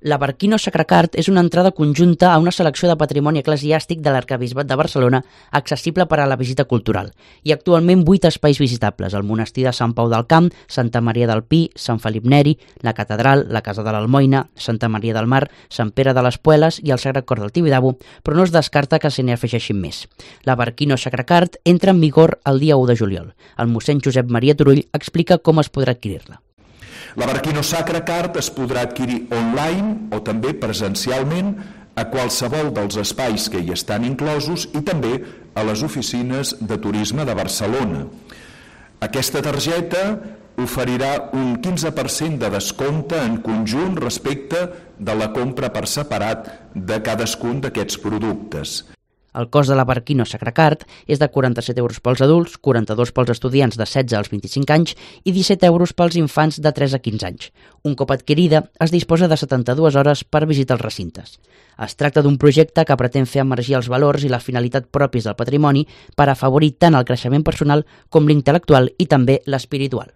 La Barquino Sacracart és una entrada conjunta a una selecció de patrimoni eclesiàstic de l'Arquebisbat de Barcelona accessible per a la visita cultural. Hi ha actualment 8 espais visitables: el monestir de Sant Pau del Camp, Santa Maria del Pi, Sant Felip Neri, la catedral, la Casa de l'Almoina, Santa Maria del Mar, Sant Pere de les Pueles i el Sagrat Cor del Tibidabo, però no es descarta que se n'hi afegeixin més. La Barquino Sacracart entra en vigor el dia 1 de juliol. El mossèn Josep Maria Turull explica com es podrà adquirir-la. La Barquino Sacracart es podrà adquirir online o també presencialment a qualsevol dels espais que hi estan inclosos i també a les oficines de turisme de Barcelona. Aquesta targeta oferirà un 15% de descompte en conjunt respecte de la compra per separat de cadascun d'aquests productes. El cost de la Barquino Sacracart és de 47 euros pels adults, 42 pels estudiants de 16 als 25 anys i 17 euros pels infants de 3 a 15 anys. Un cop adquirida, es disposa de 72 hores per visitar els recintes. Es tracta d'un projecte que pretén fer emergir els valors i la finalitat propis del patrimoni per afavorir tant el creixement personal com l'intel·lectual i també l'espiritual.